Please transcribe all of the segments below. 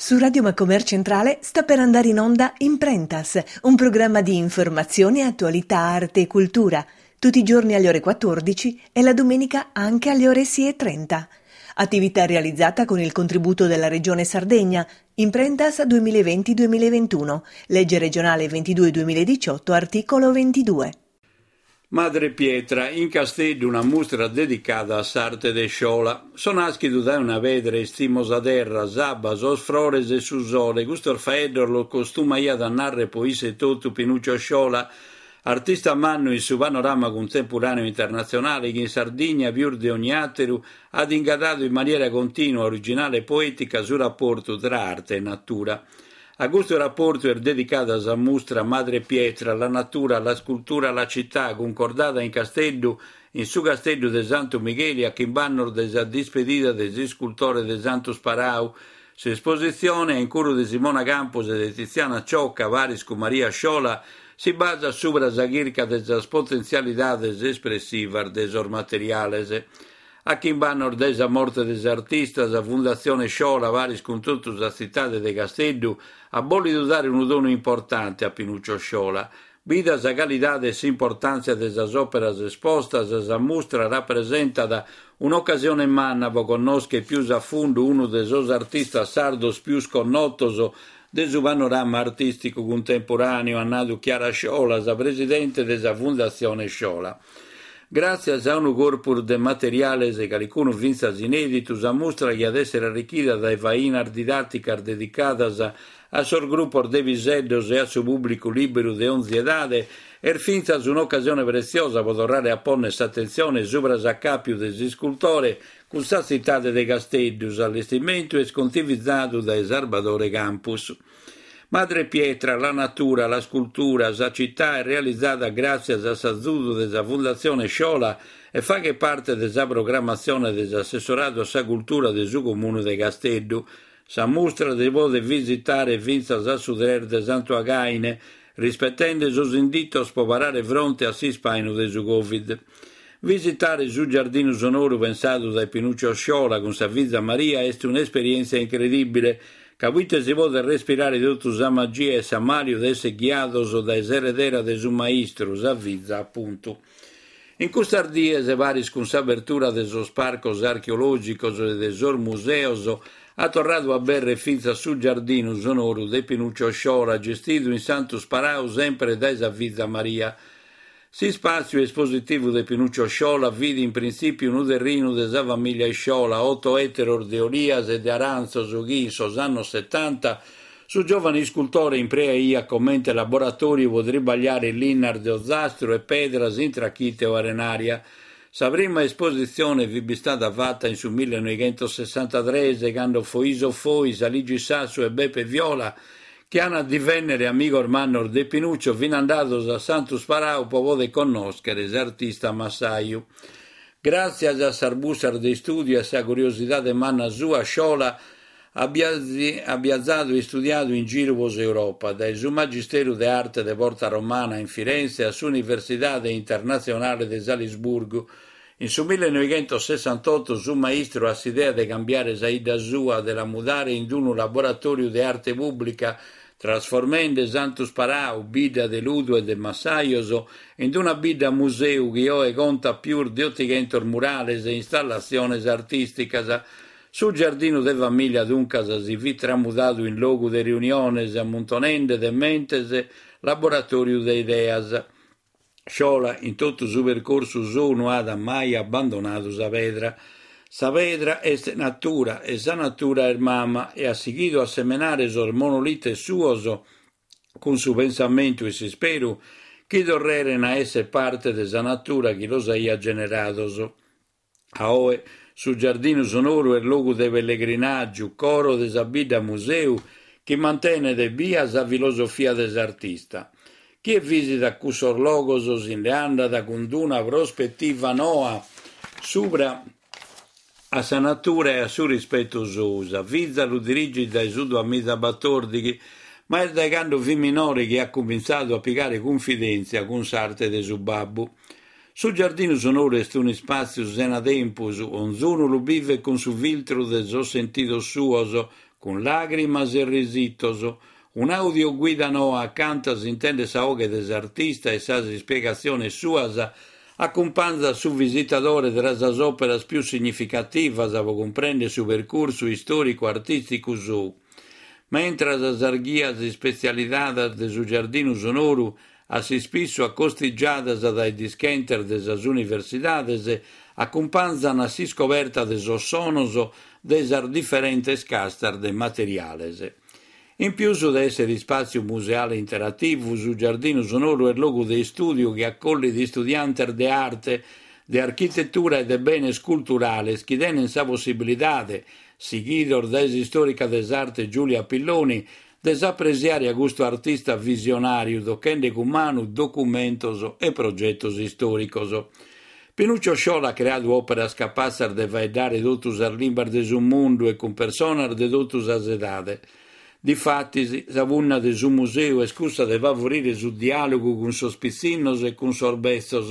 Su Radio Macomer Centrale sta per andare in onda Imprentas, un programma di informazione, attualità, arte e cultura, tutti i giorni alle ore 14 e la domenica anche alle ore 6.30. Attività realizzata con il contributo della Regione Sardegna, Imprentas 2020-2021, legge regionale 22-2018, articolo 22. Madre Pietra, in Casteddu una mustra dedicada a s'arte de Sciola. So nàschidu dae una pedra e istimo sa terra, s'abba, sos frores e su sole, custos faeddos los costumaiat a nàrrere po isse etotu Pinuccio Sciola, artista mannu in su panorama cuntemporàneu internatzionale chi in Sardigna pius de ogni àteru at ingadadu in maniera continua, originale e poètica su raportu tra arte e natura. A custu raportu est dedicada sa mustra Madre Pietra, la natura, la scultura, la città, cuncordada in Casteddu, in su Casteddu de Santu Migheli a chimb'annos de sa dispedida de s'iscultore de Santu Sparau. S'espositzione, a incuru de Simona Campus e de Tiziana Ciocca, paris cun Maria Sciola, si basat subra sa chirca de sas potentzialidades espressivas de sos materiales. A chimb'annos dae sa morte de s'artista, sa Fundatzione Sciola, paris cun totu sa tzitade de Casteddu, at bòlidu dare unu donu importante a Pinuccio Sciola. Bida sa calidade e s'importàntzia de sas òperas espostas, sa mustra rapresentat un'ocasione manna pro connòschere pius a fundu unu de sos artistas sardos pius connotos de su panorama artìsticu cuntemporàneu, at nadu Chiara Sciola, sa presidente de sa Fundatzione Sciola. Gràtzias a unu corpus de materiales, calicunu fintzas inèditu, sa mustra chi at èssere arrichida dae fainas didàticas dedicadas a sos grupos de piseddos e a su pùblicu lìberu de onzi edade, est fintzas un'ocasione pretziosa pro torrare a pònnere s'atentzione subra s'acàpiu de s'iscultore cun sa tzitade de Casteddu. S'allestimentu est contivizadu dae Sarbadore Campus. Madre Pietra, la natura, la scultura, sa città est realizada gràtzias a s'azudu de sa Fundatzione Sciola e faghet parte de sa programmatzione de s'Assessoradu a sa Cultura de su Comunu de Casteddu. Sa mustra si podet visitare fintzas a su tres de Santu Againe, rispetende sos inditos pro parare fronte a s'ispàinu de su Covid. Visitare su giardinu sonoru pensadu dae Pinuccio Sciola cun sa fiza Maria est un'esperièntzia incredìbile, ca poite si podet respirare totu sa magia e s'ammàliu de èssere ghiados dae s'eredera de su maistru, sa fiza apuntu. In custas dies, paris cun s'abertura de sos parcos archeològicos e de sos museos, at torradu a abèrrere fintzas su giardinu sonoru de Pinuccio Sciola, gestidu in Santu Sparau semper dae sa fiza Maria. S'ispàtziu espositivu de Pinuccio Sciola fit in printzìpiu unu terrinu de sa famìllia Sciola, oto èteros de olias e de arantzos chi, in sos annos setanta, su giòvanu iscultore impreaiat comente laboratòriu pro tribagliare linnas de ozastru e pedras in trachite o arenària. Sa prima espositzione fit bistada fata in su millenoighentosessantatres, cando Foiso Fois, Aligi Sassu e Beppe Viola chi an a divènnere amigos mannos de Pinuccio, fin andados a Santu Sparau pro poder connòschere s'artista massaju. Gràtzias a sas bussas de istùdiu e a sa curiosidade manna sua, Sciola at biazadu e istudiadu in giru pro s'Europa, dae su Magisteru de Arte de Porta Romana in Firenze a s'Universidade Internatzionale de Salisburgu, In su millenoighentosessantotto su maistru at s'idea de cambiare sa 'idda sua, de la mudare in unu laboratòriu de arte pùblica, trasformende Santu Sparau, bidda de ludu e de massajos, in una bidda museu chi oe contat pius de otighentos murales e installatziones artìsticas. Su giardinu de famìlia duncas si fit tramudadu in logu de riuniones, ammuntonende de mentes, laboratòriu de ideas. Sciola in totu su percorsu sou no at mai abbandonadu sa pedra. Sa pedra est natura e sa natura est mama e at sighidu a semenare sos monolites suos cun su pensamentu e s'isperu chi torreren a esser parte de sa natura chi los aiat generados. A oe su giardinu sonoru est logu de pellegrinàgiu, coro de sa bidda museu chi mantenet bia sa filosofia de s'artista. Chie vìsitat cussos logos si nde andat cun una prospetiva noa subra a sa natura e a su rispetu sou. Sa fiza lu dirigit dae su duamizabatòrdighi, ma est dae cando fit minore chi at cumintzadu a pigare cunfidèntzia cun s'arte de su babbu. Su giardinu sonoru est un'ispàtziu sena tempus, onzunu lu bivet cun su filtru de sos sentidos suos. cun làgrimas e risitos. Un'audioguida noa acanta s'intendet sa 'oghe de s'artista e sas ispiegatziones suas acumpanzat su visitadore tra sas òperas pius significativas pro cumprèndere su percursu istòricu-artìsticu sou. Mentras sas ghias ispetzializadas de su Giardinu Sonoru a s'ispissu acostigiadas dae dischentes de sas universidades, acumpanzan a s'iscoberta de sos sonos de sas diferentes castas de materiales. In pius de èssere ispàtziu museale interativu, su Giardinu Sonoru est logu de istùdiu chi acollit istudiantes de arte, de architetura e de benes culturales chi tenent sa possibilidade, sighidos dae s'istòrica de s'arte Giulia Pilloni, de s'apresiare a custu artista visionàriu tochende cun manu documentos e progetos istòricos. Pinuccio Sciola at creadu òperas capatzas de faeddare totu sas limbas de su mundu e cun personas de totu sas edade. Difatis, sa punna de su museu est cussa de favorire su diàlogu cun sos pitzinnos e cun sos betzos,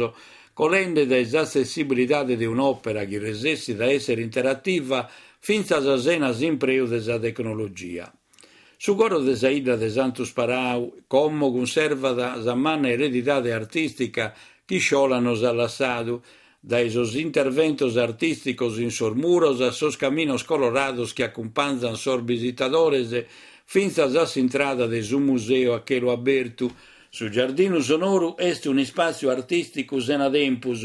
colende dae s'atzessibilidade de un'òpera chi resessit a èssere interativa fintzas sena s'impreu de sa tecnologia. Su coro de sa 'idda de Santu Sparau como cunservat sa manna eredidade artìstica chi Sciola nos at lassadu, dae sos interventos artìsticos in sos muros a sos caminos colorados chi acumpanzant sos bisitadores fintzas a s'intrada de su museu a chelu abertu. Su Giardinu Sonoru est un'ispàtziu artìsticu sena tempus,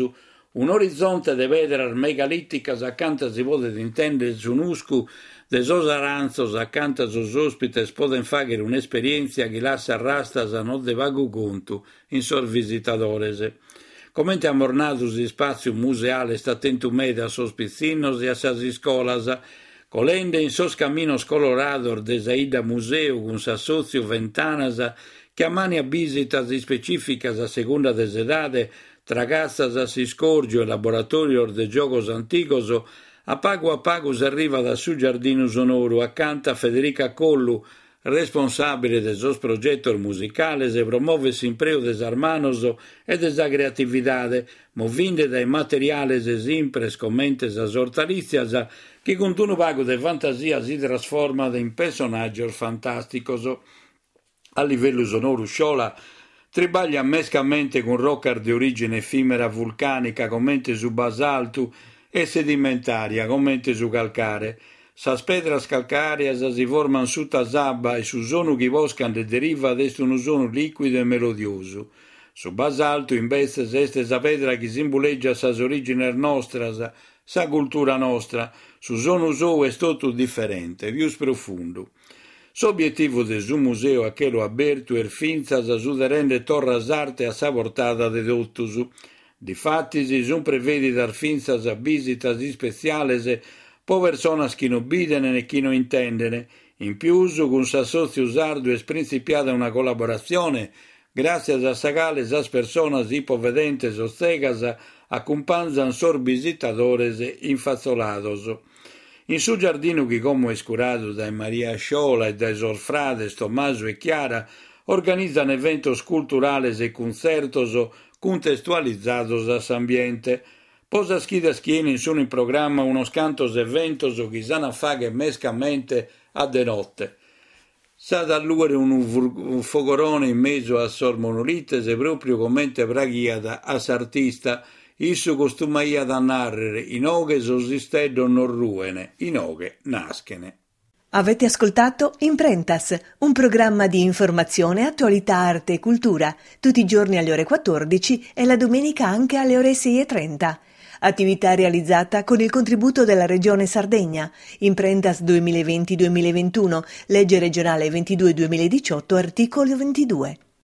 Un'orizonte de pedras megalìticas acanta si podet intèndere su nuscu de sos arantzos acanta sos òspites podent fàghere un'esperièntzia chi lassat rastas non de pagu contu in sos visitadores. Comente amus nadu s'ispàtziu museale est atentu meda a sos pitzinnos e a sas iscolas, colende in sos caminos colorados de sa 'idda museu cun s'assòtziu Ventanas chi ammàniat bìsitas ispecìficas a segunda de s'edade Tra catzas a s'iscòrgiu e laboratòrios de giogos antigos, a pagu a pagu s'arrivat a su Giardinu Sonoru, acanta Federica Collu, responsàbile de sos progetos musicales, promovet s'impreu de sas manos e de sa creatividade, movinde dae materiales simpres comente sas ortalìtzias, chi cun unu pagu de fantasia si trasformat in pessonàgios fantàsticos. A livellu sonoru Sciola tribagliat mescamente cun rocas de orìgine efìmera vulcànica comente su basaltu e sedimentària comente su calcare. Sas pedras calcàreas si formant suta s'abba e su sonu chi posca nde derivat est unu sonu lìcuidu e melodiosu. Su basaltu, imbetzes, est sa pedra chi simbulègiat sas orìgines nostras, sa cultura nostra. Su sonu sou est totu diferente, pius profundu. S'obietivu de su museu a chelu abertu est fintzas su de rèndere torra s'arte a sa portada de totus. Difatis sunt prevèdidas fintzas bìsitas ispetziales pro personas chi no bident e chi no intendent. In pius, cun s'Assòtziu Sardu est printzipiada una collaboratzione gràtzias a sa cale sas personas ipovedentes o tzegas acumpanzant sos bisitadores infatzolados. In su giardinu chi como est curadu dae Maria Sciola e dae sos frades Tommaso e Chiara, organizan eventos culturales e cuntzertos cuntestualizados a s'ambiente. Po sas chidas chi 'enin sun in programma unos cantos eventos chi s'an a fagher mescamente a de note. S'at a allùere unu fogorone in mesu a sos monolites pròpriu comente praghiat a s'artista. Issu costumaiat a nàrrere, Inoghe sos isteddos non ruen, inoghe naschen. Avete ascoltato Imprentas, un programma di informazione, attualità, arte e cultura, tutti i giorni alle ore 14 e la domenica anche alle ore 6.30. Attività realizzata con il contributo della Regione Sardegna. Imprentas 2020-2021, legge regionale 22 2018, articolo 22.